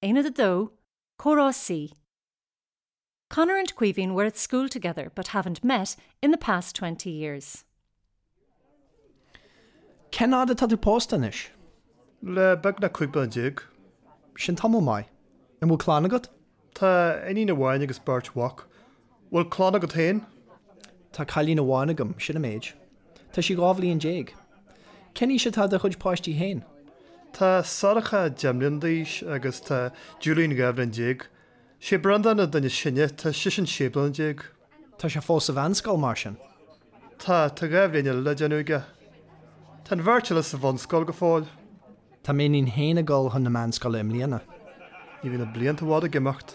Aonad 2, Comhrá C. Conor and Caoimhín were at school together but haven't met in the past 20 years. Cén fhad atá tú pósta anois? Le beagnach 15 bliana. Sin tamall maith. An bhfuil clann agat? Tá iníon amháin agus beirt mhac. Bhfuil clann agat féin? Tá cailín amháin agam, sin an méid. Tá sí 12 bhliain. Cén aois atá do chuid páistí féin? Tá Sorcha 10 mbliana d'aois agus tá Julian 12 bhliain. Sé Breandán an duine is sine, tá seisean 16 bliana. Tá sé fós sa mheánscoil, mar sin? Tá, tá 2 bhliain eile le déanamh aige. Tá an bheirt eile sa bhunscoil go fóill. Tá m'iníon féin ag dul chun na meánscoile i mbliana. Ní bhíonn na blianta i bhfad ag imeacht.